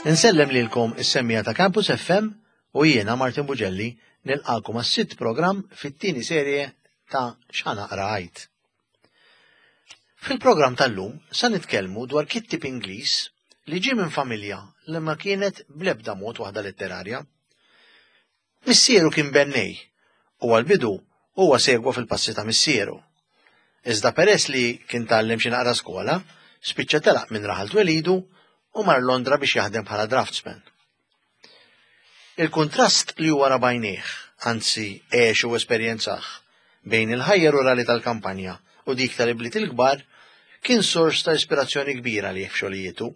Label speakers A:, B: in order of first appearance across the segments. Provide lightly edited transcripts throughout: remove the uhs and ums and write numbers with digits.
A: Insellem lilkom is-semmiegħa ta' Campus FM u jiena Martin Bugelli nilqakom għas-sitt programm fit-tieni serje ta' X'Ħa Naqra Għid. Fil-programm tal-lum sa nitkellmu dwar kittib Ingliż li ġie minn familja li ma kienet bl-ebda mod waħda letterarja. Missieru kien bennej u għall-bidu huwa segwa fil-passi ta' missieru. Iżda peress li kien tgħallem xi naqra skola, spiċċa telaq minn raħal twelidu u mar Londra biex jaħdem bħala draftsman. Il-kuntrast li huwa ra b'għajnejh, anzi għex u esperjenzah, bejn il-ħajja rurali tal-kampanja u dik tal-ibliet il-kbar kien sors ta' ispirazzjoni kbira għalih f'xogħlijietu.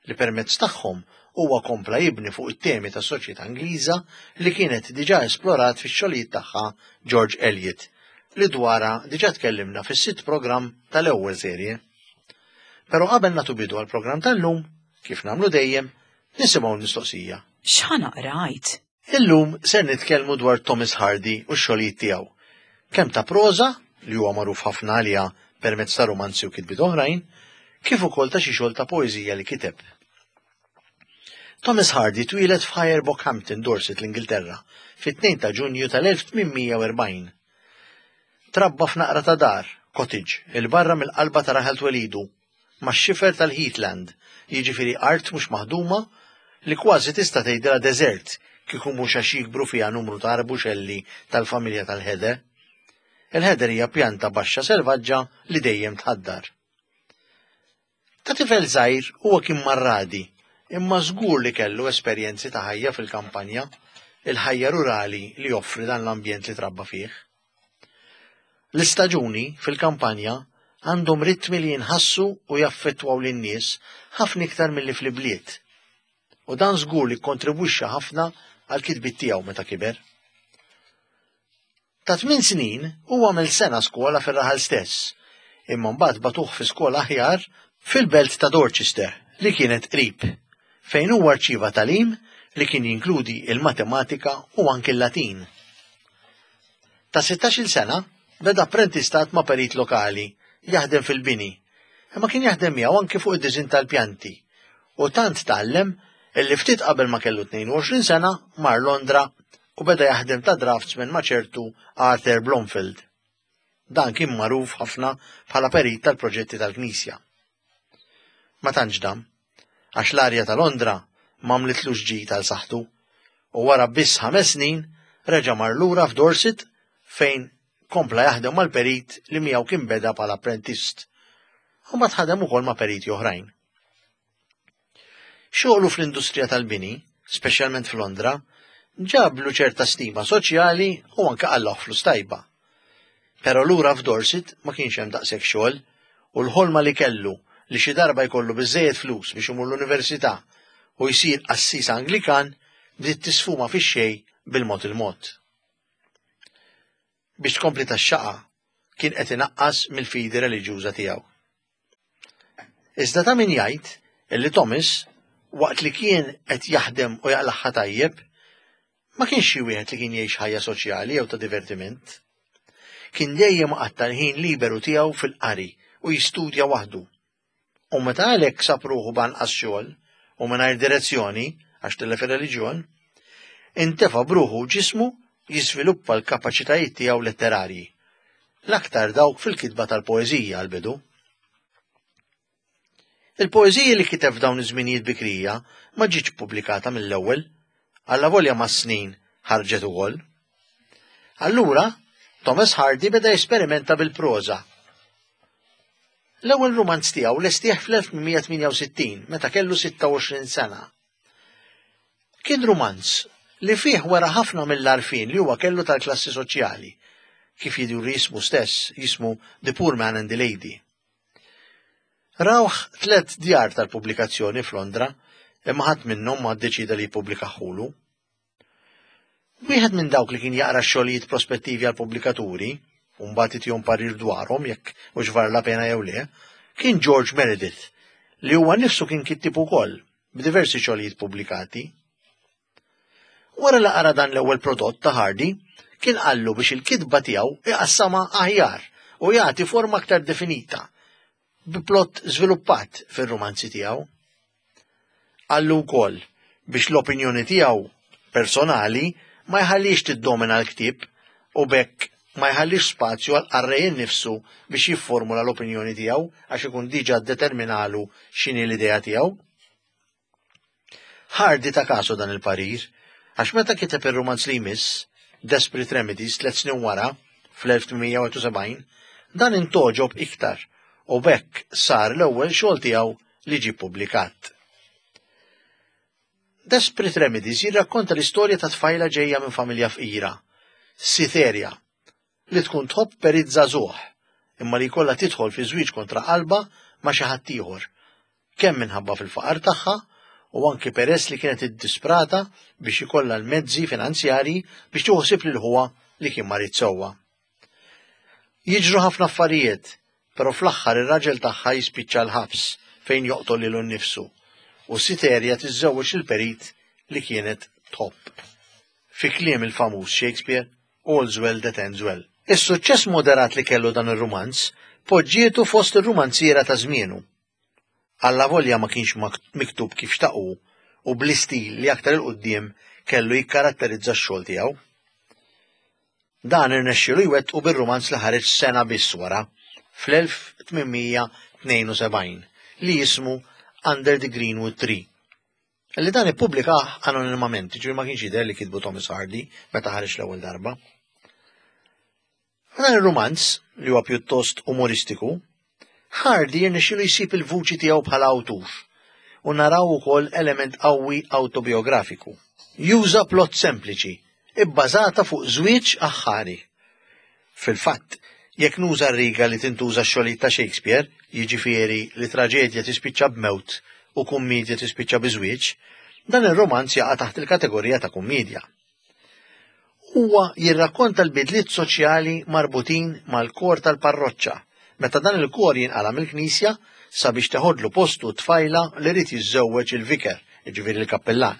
A: li permezz tagħhom huwa kompla jibni fuq it-temi tas-soċjetà Ingliża li kienet diġà esplorat fix-xogħlijiet tagħha George Eliot, li dwarha diġà tkellimna fis-sitt programm tal-ewwel serje. Però qabel nagħtu bidu għall-programm tal-lum, kif nagħmlu dejjem, nisimgħu l-mistoqsija.
B: X'ħa naqra għid?
A: Illum ser nitkellmu dwar Thomas Hardy u x-xogħlijiet tiegħu, kemm ta' proża, li huwa magħruf ħafna għaliha permezz ta' rumanzi u kitbiet oħrajn, kif ukoll ta' xi xogħol ta' poeżija li kiteb. Thomas Hardy twieled f'Higher Bockhampton, Dorset, l-Ingilterra, fit-2 ta' Ġunju tal-1840. Trabba f'naqra ta' dar, cottage, 'il barra mill-qalba ta' raħal twelidu, max-xifer tal-heathland, jiġifieri art mhux maħduma li kważi tista' tgħidilha deżert kieku mhux għax jikbru fiha numru ta' arbuxelli tal-familja tal-heather. Il-heather hija pjanta baxxa selvaġġa li dejjem tħaddar. Ta' tifel żgħir huwa kien marradi, imma żgur li kellu esperjenzi ta' ħajja fil-kampanja, il-ħajja rurali li joffri dan l-ambjent li trabba fih. L-istaġuni fil-kampanja għandhom ritmi li jinħassu u jaffettwaw lin-nies ħafna iktar milli fl-ibliet. U dan żgur li kkontribwixxa ħafna għall-kitbiet tiegħu meta kiber. Ta' tminn snin hu għamel sena skola fir-raħal stess, imma mbagħad bagħtuh fi skola aħjar fil-belt ta' Dorchester li kienet qrib, fejn huwa rċieva tagħlim li kien jinkludi l-matematika u anki l-Latin. Ta' sittax-il sena beda apprentistat ma' perit lokali jaħdem fil-bini, imma kien jaħdem miegħu anki fuq id-diżinn tal-pjanti u tant tgħallem illi ftit qabel ma kellu 22 sena mar Londra u beda jaħdem ta' draftsman ma' ċertu Arthur Blomfield. Dan kien magħruf ħafna bħala perit tal-proġetti tal-Knisja. Ma tantx dam, għax l-arja ta' Londra m'għamlitlux ġid għal saħħtu u wara biss ħames snin reġa' mar lura f'Dorset fejn kompla jaħdem mal-perit li miegħu kien beda bħala apprentist u mbagħad ħadem ukoll ma' periti oħrajn. Xogħlu fl-industrija tal-bini, speċjalment f'Londra, ġablu ċerta stima soċjali u anke qallahu flus tajba. Però lura f'Dorset ma kienx hemm daqshekk xogħol u l-ħolma li kellu li xi darba jkollu biżżejjed flus biex imur l-università u jsir qassis Anglikan bdiet tisfuma fix-xejn bil-mod il-mod. Biex tkompli tax-xaqa kien qed inaqqas mill-fidi reliġjuża tiegħu. Iżda ta' min jgħid illi Thomas, waqt li kien qed jaħdem u jaqlagħha tajjeb, ma kienx xi wieħed li kien jgħix ħajja soċjali jew ta' divertiment. Kien dejjem iqatta' l-ħin liberu tiegħu fil-qari u jistudja waħdu. U meta għalhekk sab ruħu b'anqas xogħol u mingħajr direzzjoni għax tilef ir-reliġjon, intefa' b'ruħu u ġismu jiżviluppa l-kapaċitajiet tiegħu letterarji, l-aktar dawk fil-kitba tal-poeżija għall-bidu. Il-poeżiji li kiteb f'dawn iż-żminijiet bikrija ma ġietx pubblikata mill-ewwel, allavolja mas-snin ħarġet ukoll. Allura, Thomas Hardy beda jesperimenta bil-proża. L-ewwel rumanz tiegħu lestih fl-1868 meta kellu 26 sena. Kien rumanz li fih wera ħafna mill-għarfien li huwa kellu tal-klassi soċjali, kif jidhru jismu stess, jismu The Poor Man and the Lady. Rawh tlet djar tal-pubblikazzjoni f'Londra, imma ħadd minnhom ma ddeċieda li jippubblikahulu. Wieħed minn dawk li kien jaqra x-xogħlijiet prospettivi għall-pubblikaturi, u mbagħad itihom parir dwarhom jekk hux var la pena jew le, kien George Meredith, li huwa nnifsu kien kittieb ukoll, b'diversi xogħlijiet pubblikati. Wara li qara dan l-ewwel prodott ta' Hardy, kien qallu biex il-kitba tiegħu iqassamha aħjar u jagħti forma aktar definita, bi plott żviluppat fir-rumanzi tiegħu. Qallu wkoll biex l-opinjoni tiegħu personali ma jħallix tiddomina l-ktieb u b'hekk ma jħallix spazju għall-qarrej innifsu biex jifformula l-opinjoni tiegħu għax ikun diġà ddeterminalu x'inhi l-idea tiegħu. Hardy ta kasu dan il-parir, għax meta kiteb ir-rumanz li jmiss, Desperate Remedies, tlet snin wara, fl-1871, dan intogħġob iktar u b'hekk sar l-ewwel xogħol tiegħu li ġie ppubblikat. Desperate Remedies jirrakkonta l-istorja ta' tfajla ġejja minn familja fqira, Cytherea, li tkun tħobb perit żagħżugħ, imma li jkollha tidħol fi żwieġ kontra qalbha ma' xi ħadd ieħor, kemm minħabba fil-faqar tagħha u anki peress li kienet iddisprata biex ikollha l-mezzi finanzjarji biex tieħu ħsieb lil ħuha li kien marid sewwa. Jiġru ħafna affarijiet, però fl-aħħar ir-raġel tagħha jispiċċa l-ħabs fejn joqtol lilu nnifsu u Siterja tiżżewweġ lill-perit li kienet tħobb. Fi kliem il-famuż Shakespeare, All's well that ends well. Is-suċċess moderat li kellu dan ir-rumanz poġġietu fost ir-rumanziera ta' żmienu. Allavolja ma kienx miktub kif xtaq hu u bl-istil li aktar 'il quddiem kellu jikkaratterizza x-xogħol tiegħu. Dan irnexxielu jwettqu bir-rumanz li ħareġ sena biss wara, fl-1872, li jismu Under the Greenwood Tree. Li dan ippubblikah anonimament, jiġifieri ma kienx jidher li kitbu Thomas Hardy meta ħareġ l-ewwel darba. F'dan ir-rumanz, li huwa pjuttost umoristiku, Hardy jirnexxilu jsib il-vuċi tiegħu bħala awtur u naraw ukoll element qawwi awtobijografiku. Juża plot sempliċi, ibbażata fuq żwieġ aħħari. Fil-fatt, jekk nuża r-riga li tintuża x-xogħlijiet ta' Shakespeare, jiġifieri li traġedja tispiċċa b'mewt u kummiedja tispiċċa bi żwieġ, dan ir-rumanz jaqa' taħt il-kategorija ta' kummiedja. Huwa jirrakkonta l-bidliet soċjali marbutin mal-kor tal-parroċċa meta dan il-kor jinqala' mill-knisja sabiex teħodlu postu t-tfajla li ried jiżżewweġ il-vicar, jiġifieri l-kappillan.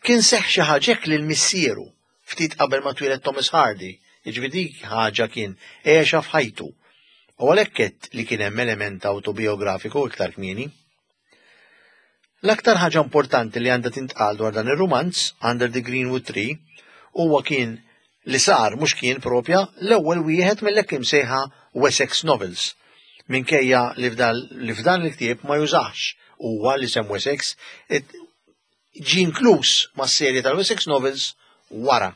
A: Kien seħħ xi ħaġa hekk lil missieru ftit qabel ma twieled Thomas Hardy, jiġifieri dik ħaġa kien għexha f'ħajtu. U għalhekk għedt li kien hemm element awtobijografiku iktar kmieni. L-aktar ħaġa importanti li għandha tintqal dwar dan ir-rumanz, Under the Greenwood Tree, huwa kien li sar mhux kien propja l-ewwel wieħed mill-hekk imsejħa Wessex Novels, minkejja li f'dan il-ktieb ma jużax huwa l-isem Wessex, ġie inkluż mas-serje tal-Wessex Novels wara.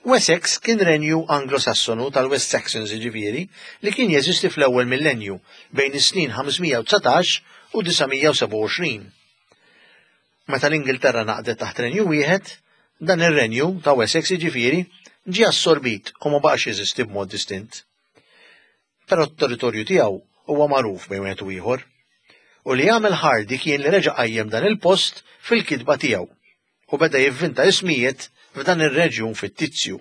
A: Wessex kien renju Anglo-Sassonu tal-West Saxons jiġifieri li kien jeżisti fl-ewwel millenju, bejn is-snin 519 u 927. Meta l-Ingilterra ngħaqdet taħt renju wieħed, dan ir-renju ta' Wessex jiġifieri ġie assorbit u ma baqax jeżisti b'mod distint. Però t-territorju tiegħu huwa magħruf bejn wieħed u ieħor. U li għamel Hardy kien li reġa' qajjem dan il-post fil-kitba tiegħu. u beda jivvinta ismijiet f'dan ir-reġjun fittizju.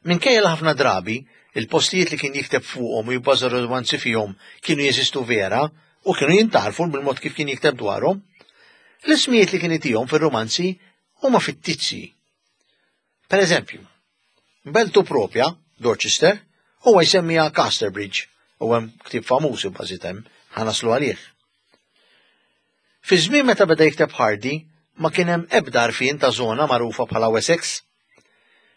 A: Minkejja li ħafna drabi il-postijiet li kien jikteb fuqhom u jibbaża romanzi fihom kienu jeżistu vera u kienu jintgħarfu bil-mod kif kien jikteb dwarhom, l-ismijiet li kien itihom fir-romanzi huma fittizji. Per eżempju, beltu propja, Dorchester, huwa jsemmiha Casterbridge u hemm ktieb famuż ibbażit hemm, ħa naslu għalih. Fi żmien meta beda jikteb Hardy, ma kien hemm ebda għarfien ta' żona magħrufa bħala Wessex.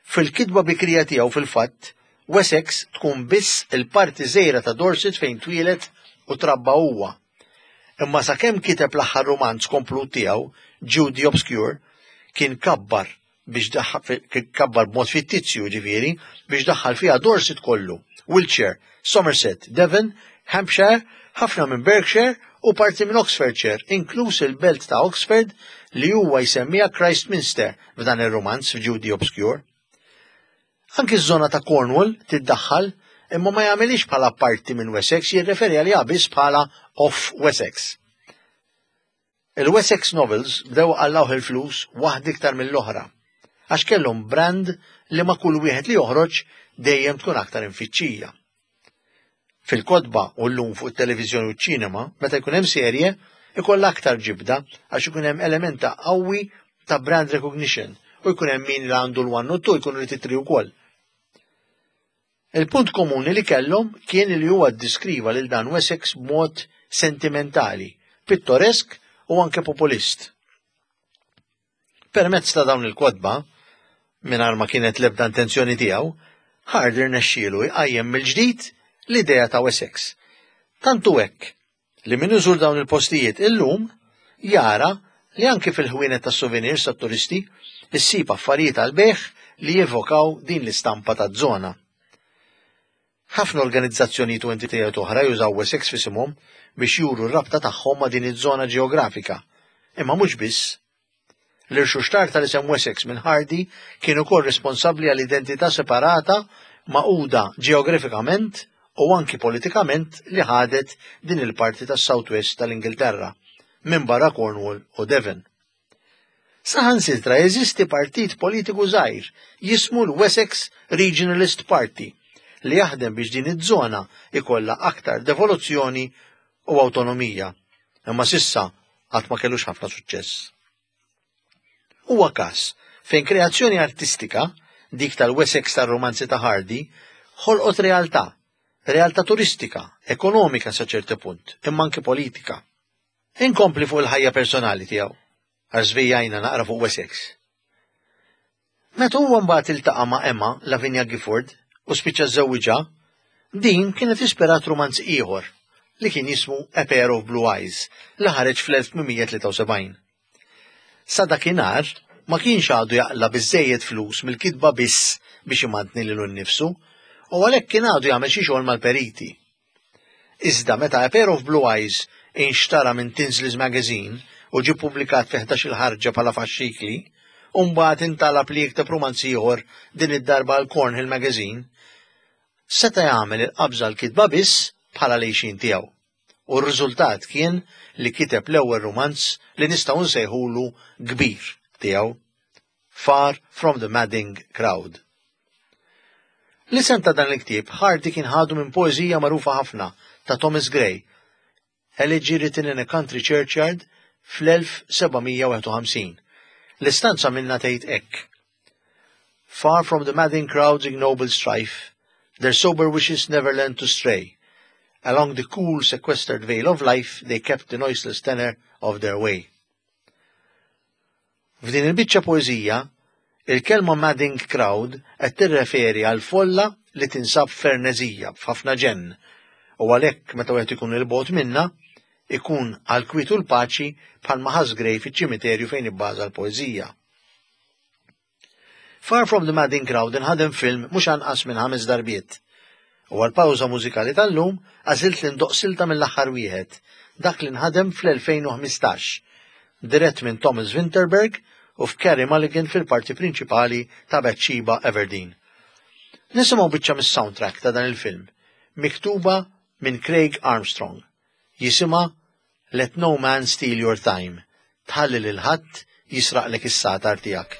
A: Fil-kitba bikrija tiegħu fil-fatt, Wessex tkun biss il-parti żgħira ta' Dorset fejn twieled u trabba huwa. Imma sakemm kiteb l-aħħar rumanz komplut tiegħu, Jude the Obscure, kien kabbar biex kabbar b'mod fittizju ġifieri biex daħħal fiha Dorset kollu, Wiltshire, Somerset, Devon, Hampshire, ħafna minn Berkshire u parti minn Oxfordshire, inkluż il-belt ta' Oxford li huwa jsemmiha Christminster f'dan ir-rumanz f'Jude the Obscure. Anki ż-żona ta' Cornwall tiddaħħal imma ma jagħmilhiex bħala parti minn Wessex jirreferi għaliha biss bħala off Wessex. Il-Wessex Novels bdew iqallgħuh il-flus waħda iktar mill-oħra, għax kellhom brand li ma' kull wieħed li joħroġ dejjem tkun aktar imfittxija. Fil-kotba u llum fuq it-televiżjoni u ċ-ċinema, meta jkun hemm serje, ikollha aktar ġibda għax ikun hemm element ta' qawwi ta' brand recognition u jkun hemm min li għandu l-one u t-two jkun irid it-three wkoll. Il-punt komuni li kellhom kien li huwa ddiskriva lil dan Wessex b'mod sentimentali, pittoresk u anke populist. Permezz ta' dawn il-kotba, mingħajr ma kienet l-ebda intenzjoni tiegħu, Hardy rnexxielu jqajjem mill-ġdid l-idea ta' Wessex. Tant hu hekk li min iżur dawn il-postijiet illum jara li anki fil-ħwienet tas-souvenirs tat-turisti issib affarijiet għall-bejgħ li jevokaw din l-istampa taż-żona. Ħafna organizzazzjonijiet u entitajiet oħra jużaw Wessex f'isimhom biex juru r-rabta tagħhom ma' din iż-żona ġeografika. Imma mhux biss. L-irxuxtar tal-isem Wessex minn Hardy kien ukoll responsabbli għal identità separata magħquda ġeografikament u anki politikament li ħadet din il-parti tas-South West tal-Ingilterra, minbarra Cornwall u Devon. Saħansitra jeżisti partit politiku żgħir jismu l-Wessex Regionalist Party li jaħdem biex din iż-żona ikollha aktar devoluzzjoni u awtonomija, imma s'issa qatt ma kellux ħafna suċċess. Huwa każ fejn kreazzjoni artistika, dik tal-Wessex tar-rumanzi ta' Hardy, ħolqot realtà, realtà turistika, ekonomika sa ċerti punt, imma anki politika. Inkompli fuq il-ħajja personali tiegħu, għax żvijajna naqra fuq Wessex. Meta huwa mbagħad iltaqa' ma' Emma Lavinia Gifford u spiċċa żżewwiġha, din kienet ispirat rumanz ieħor li kien jismu A Pair of Blue Eyes li ħareġ fl-1873. Sa dakinhar ma kienx għadu jaqla' biżżejjed flus mill-kitba biss biex imantni lilu nnifsu u għalhekk kien għadu jagħmel xi xogħol mal-periti. Iżda meta A Pair of Blue Eyes inxtara minn Tinsley's Magazine u ġie ppubblikat fi ħdax-il ħarġa bħala faxxikli, u mbagħad intalab li jikteb rumanz ieħor din id-darba għal Cornhill Magazine, seta' jagħmel il-qabża għall-kitba biss bħala l-għixien tiegħu. U r-riżultat kien li kiteb l-ewwel rumanz li nistgħu nsejħulu kbir tiegħu. Far from the Madding Crowd. L-isem ta' dan il-ktieb Hardy kien ħadu minn poeżija magħrufa ħafna ta' Thomas Gray, Elegy Written in a Country Churchyard fl-1751. L-istanza minnha tgħid hekk. Far from the madding crowd's ignoble strife, their sober wishes never learned to stray. Along the cool sequestered vale of life they kept the noiseless tenor of their way. F'din il-biċċa poeżija, il-kelma madding crowd qed tirreferi għal folla li tinsab f'ferneżija, f'ħafna ġenn, u għalhekk meta wieħed ikun 'il bogħod minnha, ikun għall-kwiet u l-paċi bħalma ħass Gray fiċ-ċimiterju fejn ibbaża l-poeżija. Far From the Madding Crowd inħadem film mhux anqas minn ħames darbiet. U għall-pawża mużikali tal-lum għażilt li ndoqq silta mill-aħħar wieħed, dak li nħadem fl-2015, dirett minn Thomas Vinterberg u f'Carey Mulligan fil-parti prinċipali ta' Bathsheba Everdeen. Nisimgħu biċċa mis-soundtrack ta' dan il-film, miktuba minn Craig Armstrong. Jisimha Let no man steal your time, tħalli lil ħadd jisraqlek is-sagħtar tiegħek.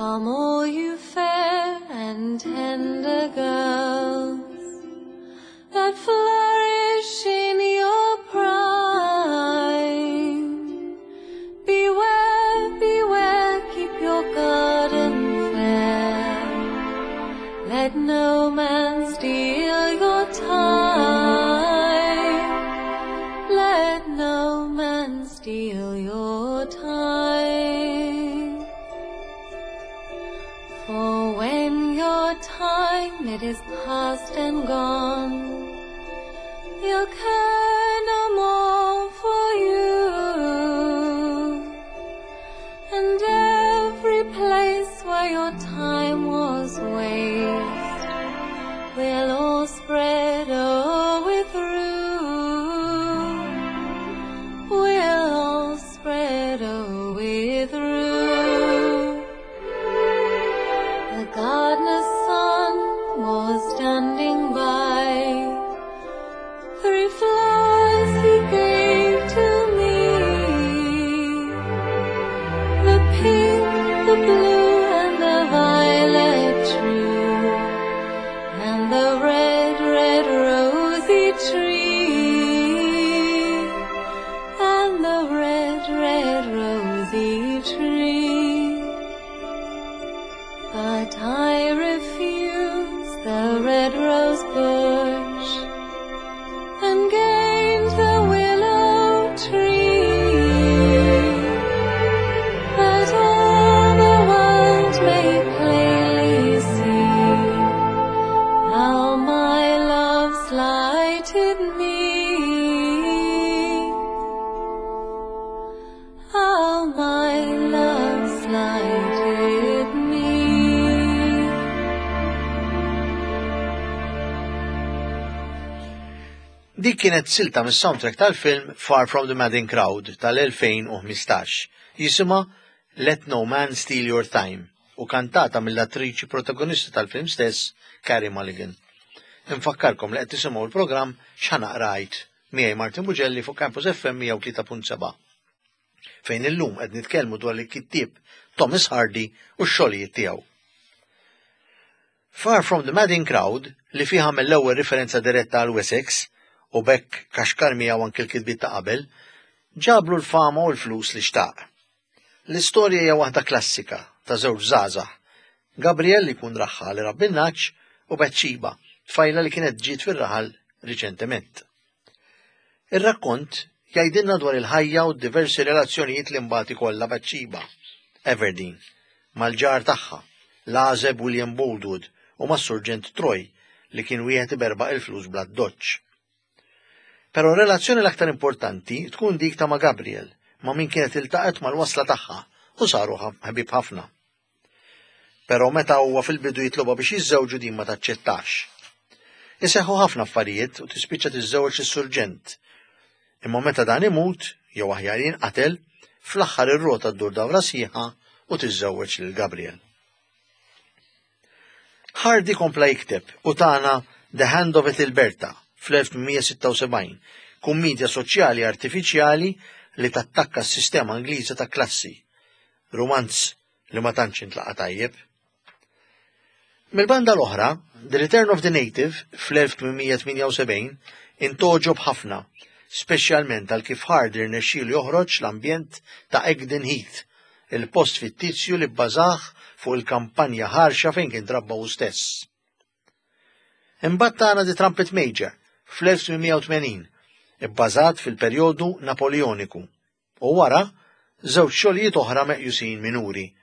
B: Come all you fair and tender girls that flourish in your prime. Beware, beware, keep your garden fair. Let no man steal your time. Let no man steal your time. For when your time it is past and gone, you'll care no more for you. And every place where your time was waste will all spread o'er through. Will all spread o'er through. The gardener's son was standing by. Three flowers he gave to me. The pink, the blue, and the violet true, and the red, red rose.
A: Dik kienet silta mis-soundtrack tal-film Far From the Madding Crowd tal-2015, jisimha Let No Man Steal Your Time u kantata mill-attriċi protagonista tal-film stess, Carey Mulligan. Infakkarkom li qed tisimgħu l-programm X'Ħa Naqra Għid miegħi Martin Bugelli fuq Campus FM 103.7. Fejn illum qed nitkellmu dwar il-kittieb Thomas Hardy u x-xogħlijiet tiegħu. Far From the Madding Crowd, li fih għamel l-ewwel riferenza diretta għal Wessex, u b'hekk kaxkar miegħu anki l-kitbiet ta' qabel, ġablu l-fama u l-flus li xtaq. L-istorja hija waħda klassika ta' żewġ żgħażagħ, Gabriel li jkun raħħal irabbi n-nagħaġ u Bathsheba, tfajla li kienet ġiet fir-raħal riċentement. Ir-rakkont jgħidilna dwar il-ħajja u d-diversi relazzjonijiet li mbagħad ikollha Bathsheba, Everdeen, mal-ġar tagħha, l-għażeb William Boldwood u mas-Surġent Troy li kien wieħed iberbaq il-flus bl-addoċċ. Però r-relazzjoni l-aktar importanti tkun dik ta' ma' Gabriel, ma' min kienet iltaqgħet mal-wasla tagħha u saru ħbieb ħafna. Però meta huwa fil-bidu jitlobha biex jiżżewġu din ma taċċettax. Iseħħu ħafna affarijiet u tispiċċa tiżżewweġ lis-surġent. Imma meta dan imut, jew aħjar jinqatel, fl-aħħar ir-rota ddur dawra sħiħa u tiżżewweġ lil Gabriel. Hardy kompla jikteb u tana The Hand of Ethelberta fl-1876, kummedja soċjali artifiċjali li tattakka s-sistema Ingliża ta' klassi. Rumanz li ma tantx intlaqa' tajjeb. Mill-banda l-oħra, The Return of the Native fl-1878 intogħġob ħafna, speċjalment għal kif Hardy rnexxielu joħroġ l-ambjent ta' Egdon Heath, il-post fittizju li bbażah fuq il-kampanja ħarxa fejn kien trabba hu stess. Imbagħad tana The Trumpet Major fl-1880, ibbażat fil-perjodu Napoleoniku. U wara, żewġ xogħlijiet oħra meqjusin minuri,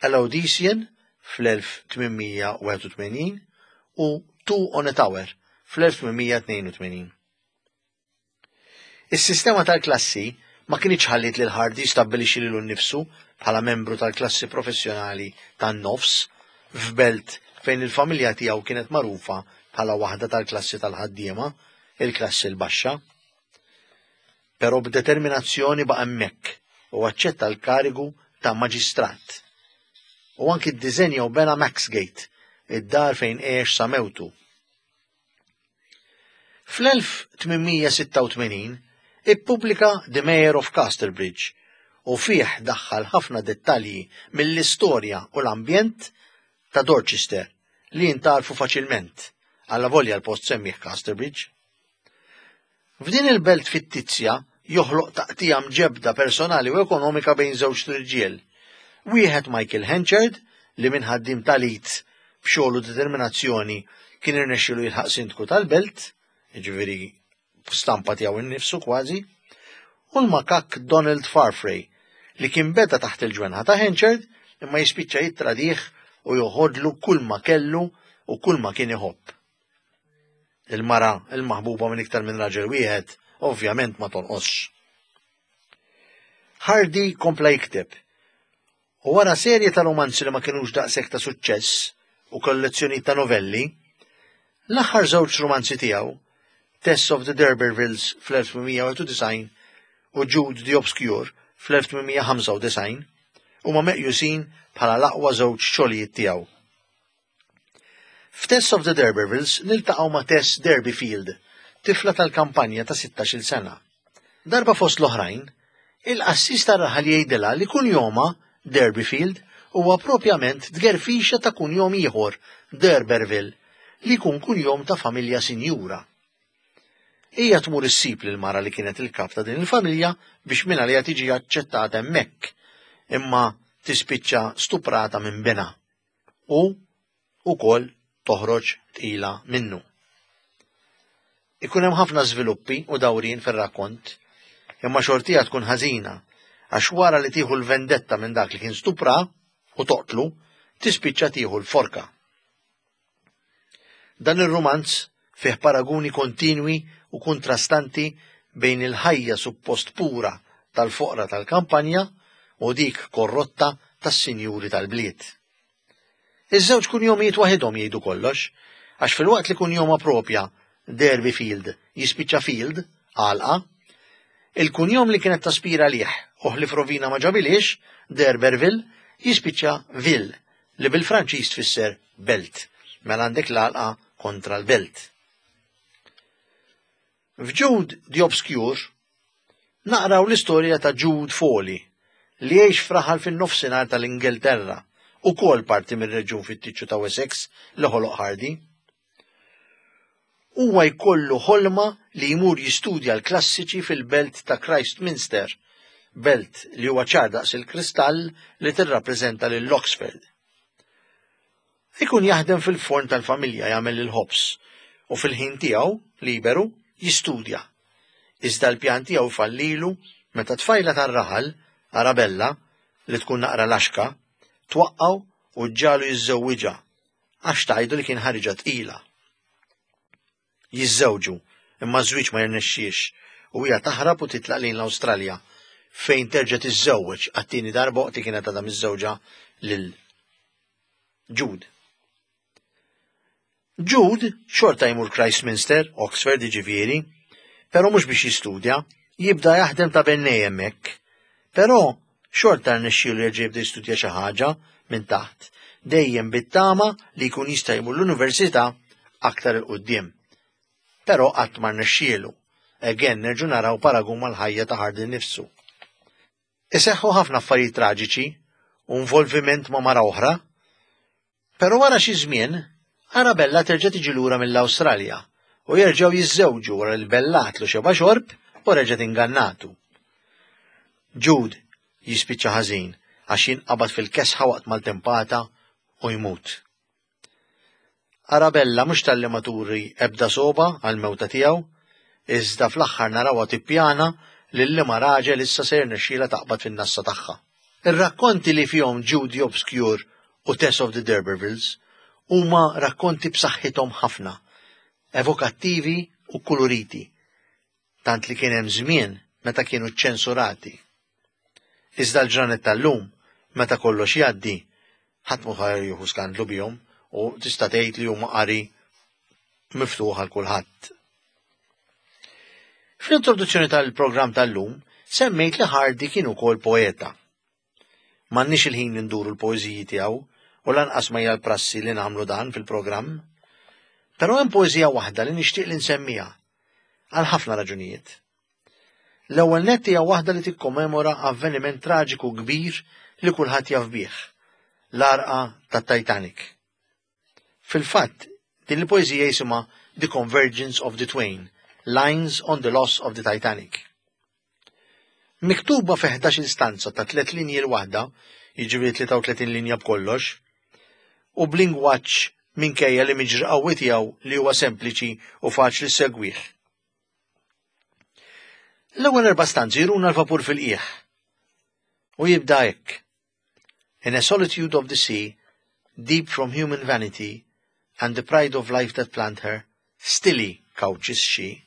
A: A Laodicean fl-1881 u Two on a Tower fl-1882. Is-sistema tal-klassi ma kinitx ħalliet lil Hardy jistabbilixxi lilu nnifsu bħala membru tal-klassi professjonali tan-nofs f'belt fejn il-familja tiegħu kienet magħrufa bħala waħda tal-klassi tal-ħaddiema, il-klassi l-baxxa. Però b'determinazzjoni baqa' hemmhekk u aċċetta l-karigu ta' maġistrat. U anki ddiżenja u bena Maxgate, id-dar fejn għex sa mewtu. Fl-1886 ippubblika The Mayor of Casterbridge u fih daħħal ħafna dettalji mill-istorja u l-ambjent ta' Dorchester li jintgħarfu faċilment, allavolja l-post semmih Casterbridge. F'din il-belt fittizja joħloq taqtigħa mġebbda personali u ekonomika bejn żewġt irġiel. Wieħed Michael Henchard li minn ħaddiem tal-id b'xogħol u determinazzjoni kien irnexxielu jilħaq sindku tal-belt, jiġifieri stampa tiegħu nnifsu kważi, u l-makakk Donald Farfrae li kien beda taħt il-ġwenħa ta' Henchard imma jispiċċa jittradih u joħodlu kulma kellu u kulma kien iħobb. Il-mara, il-maħbuba minn iktar minn raġel wieħed, ovvjament ma tonqosx. Hardy kompla jikteb. U wara serje ta' romanzi li ma kinux daqshekk ta' suċċess u kollezzjoni ta' novelli, l-aħħar żewġ romanzi tiegħu, Tess of the D'Urbervilles fl-1891 u Jude the Obscure fl-1895, huma meqjusin bħala l-aqwa żewġ xogħlijiet tiegħu. F'Tess of the D'Urbervilles niltaqgħu ma' Tess Durbeyfield, tifla tal-kampanja ta' sittax-il sena. Darba fost l-oħrajn, il-qassis tar-raħal jgħidilha li kunjomha, Durbeyfield, huwa propjament tgerfixa ta' kunjom ieħor, D'Urberville, li jkun kunjom ta' familja sinjura. Hija tmur issib lill-mara li kienet il-kap ta' din il-familja biex mingħaliha tiġi aċċettata hemmhekk, imma tispiċċa stuprata minn binha u wkoll toħroġ tqila minnu. Ikun hemm ħafna żviluppi u dawrien fir-rakkont, imma xortiha tkun ħażina għax wara li tieħu l-vendetta minn dak li kien stupra u toqtlu, tispiċċa tieħu l-forka. Dan ir-rumanz fih paraguni kontinwi u kuntrastanti bejn il-ħajja suppost pura tal-foqra tal-kampanja u dik korrotta tas-sinjuri tal-bliet. Iż-żewġ kunjomijiet waħidhom jgħidu kollox, għax filwaqt li kunjoma propja Derby Field, jispiċċa Field, għalqa. Il-kunjom li kienet taspira għalih u ħlief rovina ma ġabilhiex, D'Urberville, jispiċċa Ville, li bil-Franċiż tfisser belt. Mela għandek l-għalqa kontra l-belt. F'Jude the Obscure naqraw l-istorja ta' Jude Fawley li jgħix f'raħal fin-nofsinhar tal-Ingilterra, ukoll parti mir-reġjun fittiċċju ta' Wessex li ħoloq Hardy. Huwa jkollu ħolma li jmur jistudja l-klassiċi fil-belt ta' Christminster, belt li huwa ċar daqs il-kristall li tirrappreżenta lil Oxford. Ikun jaħdem fil-forn tal-familja jagħmel il-ħobż u fil-ħin tiegħu liberu jistudja. Iżda l-pjan tiegħu jfallilu meta tfajla tar-raħal, Arabella, li tkun naqra laxka, twaqqgħu u ġġagħlu jiżżewwiġha għax tgħidu li kien ħariġha tqila. Jiżżewġu, imma ż-żwieġ ma jirnexxiex u hija taħrab u titlaq lejn l-Awstralja fejn terġa' tiżżewweġ għat-tieni darba waqt li kienet għadha miżżewġa lil Jude. Jude xorta jmur Christminster, Oxford jiġifieri, però mhux biex jistudja, jibda jaħdem ta' bennej hemmhekk. Però xorta rnexxielu jerġa' jibda jistudja xi ħaġa minn taħt, dejjem bit-tama li jkun jista' jmur l-università aktar 'il quddiem. Però qatt ma rnexxielu. Again nerġgħu naraw paragun mal-ħajja ta' Hardy nnifsu. Iseħħu ħafna affarijiet traġiċi u involviment ma' mara oħra. Però wara xi żmien, Arabella terġa' tiġi lura mill-Awstralja u jerġgħu jiżżewġu wara li bellatlu xeba' xorb u reġgħet ingannatu. Jude jispiċċa ħażin għax jinqabad fil-kesħa waqt maltempata u jmut. Arabella mhux talli ma turi ebda sogħba għall-mewta tiegħu, iżda fl-aħħar narawha tippjana lil liema raġel issa se jirnexxielha taqbad fin-nassa tagħha. Ir-rakkonti li fihom Jude the Obscure u Tess of the D'Urbervilles huma rakkonti b'saħħithom ħafna, evokattivi u kkuluriti, tant li kien hemm żmien meta kienu ċċensurati. Iżda l-ġranet tal-lum, meta kollox jgħaddi, ħadd mhu ħa jieħu skandlu bihom u tista' tgħid li huma qari miftuħ għal kulħadd. Fl-introduzzjoni tal-programm tal-lum semmejt li Hardy kien ukoll poeta. M'għandniex il-ħin li nduru l-poeżiji tiegħu u lanqas ma hija l-prassi li nagħmlu dan fil-programm. Però hemm poeżija waħda li nixtieq li nsemmiha għal ħafna raġunijiet. L-ewwel nett hija waħda li tikkommemora avveniment traġiku kbir li kulħadd jaf bih, l-għarqa tat-Titanic. Fil-fatt, din il-poeżija jisimha The Convergence of the Twain, Lines on the Loss of the Titanic. Miktuba fi 11-il stanza ta' tliet linji l-waħda, jiġifieri 33 linja b'kollox, u b'lingwaġġ minkejja li miġri qawwi tiegħu li huwa sempliċi u faċli ssegwih. L-ewwel erba' stanzi jruna l-vapur fil-qiegħ. U jibda hekk. In a solitude of the sea, deep from human vanity, and the pride of life that planned her, stilly couches she.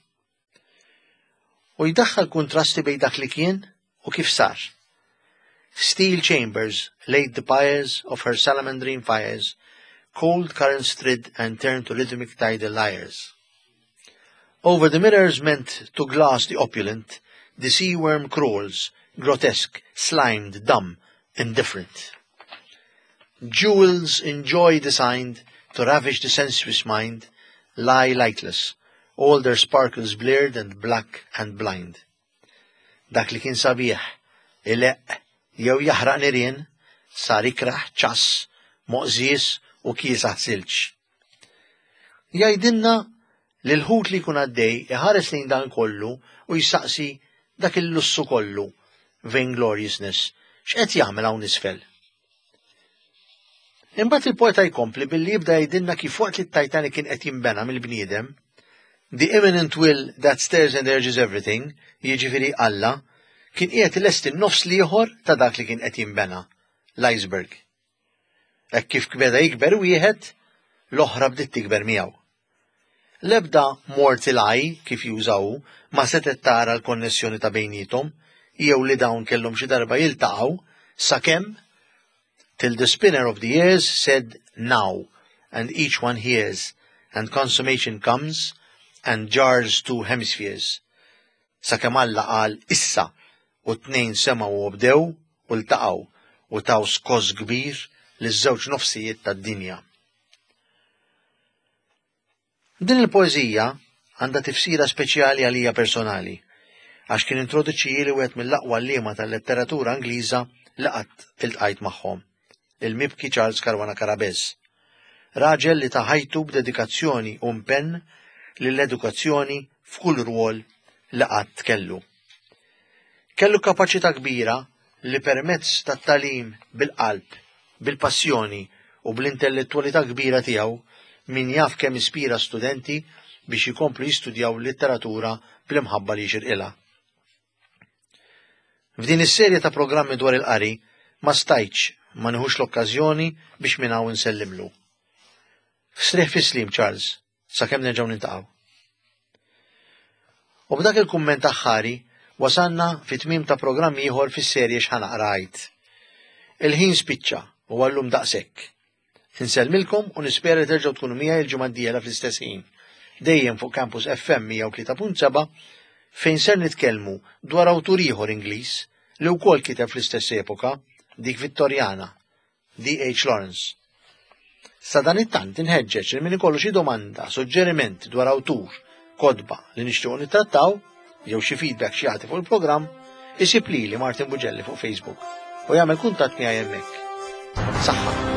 A: U jdaħħal kuntrasti bejn dak li kien u kif sar. Steel chambers laid the pyres of her salamandrine fires, cold currents thrid and turned to rhythmic tidal lyres. Over the mirrors meant to glass the opulent, the sea worm crawls, grotesque, slimed, dumb, indifferent. Jewels in joy designed to ravish the sensuous mind lie lightless, all their sparkles bleared and black and blind. Dak li kien sabiħ, ileqq jew jaħraq nirien, sar ikrah, ċass, moqżież u kiesaħ silġ. Jgħidilna li l-ħut li jkun għaddej iħares lejn dan kollu u jsaqsi dak il-lussu kollu, vaingloriousness, x'qed jagħmel hawn isfel? Imbagħad il-poeta jkompli billi jibda jgħidilna kif waqt li t-Titanic kien qed jinbena mill-bniedem, the imminent will that stirs and urges everything, jiġifieri Alla, kien qiegħed ilesti n-nofs l-ieħor ta' dak li kien qed jinbena, l-iceberg. Hekk kif beda jikber wieħed, l-oħra bdiet tikber miegħu. L-ebda mortal eye, kif juża hu, ma setgħet tara l-konnessjoni ta' bejniethom jew li dawn kellhom xi darba jiltaqgħu sakemm till the spinner of the years said now and each one hears and consummation comes. and jars two hemispheres. Sakemm Alla qal issa u t-tnejn semgħu u obdew u ltaqgħu u taw skoss kbir liż-żewġ nofsijiet tad-dinja. Din il-poeżija għandha tifsira speċjali għalija personali, għax kien introduċijieli wieħed mill-aqwa għalliema tal-letteratura Ingliża li qatt iltqajt magħhom, il-mibki Charles Caruana Carabez. Raġel li ta ħajtu b'dedikazzjoni u impenn lill-edukazzjoni f'kull rwol li qatt kellu. Kellu kapaċità kbira li permezz tat-tagħlim bil-qalb, bil-passjoni u bl-intellettwalità kbira tiegħu min jaf kemm ispira studenti biex jkomplu jistudjaw l-litteratura bl-imħabba li jixirqilha. F'din is-serje ta' programmi dwar il-qari ma stajtx ma nieħux l-okkażjoni biex minn hawn insellimlu. Strieħ fis-sliem Charles, sakemm nerġgħu niltaqgħu. U b'dak il-kumment aħħari wasalna fi tmiem ta' programm ieħor fis-serje X'ħa naqra għid. Il-ħin spiċċa u għallum daqshekk. Insellmilkom u nispera li terġgħu tkunu miegħi l-ġimgħa d-dieħla fl-istess ħin. Dejjem fuq Campus FM 103.7 fejn ser nitkellmu dwar awtur ieħor Ingliż li wkoll kiteb fl-istess epoka, dik Vittorjana, D.H. Lawrence. Sadanittant inħeġġeġ li min ikollu xi domanda, suġġeriment dwar awtur, kotba li nixtiequ nittrattaw, jew xi feedback xi jagħti fuq il-programm, isib lili Martin Bugelli fuq Facebook u jagħmel kuntatt miegħi hemmhekk. Saħħa!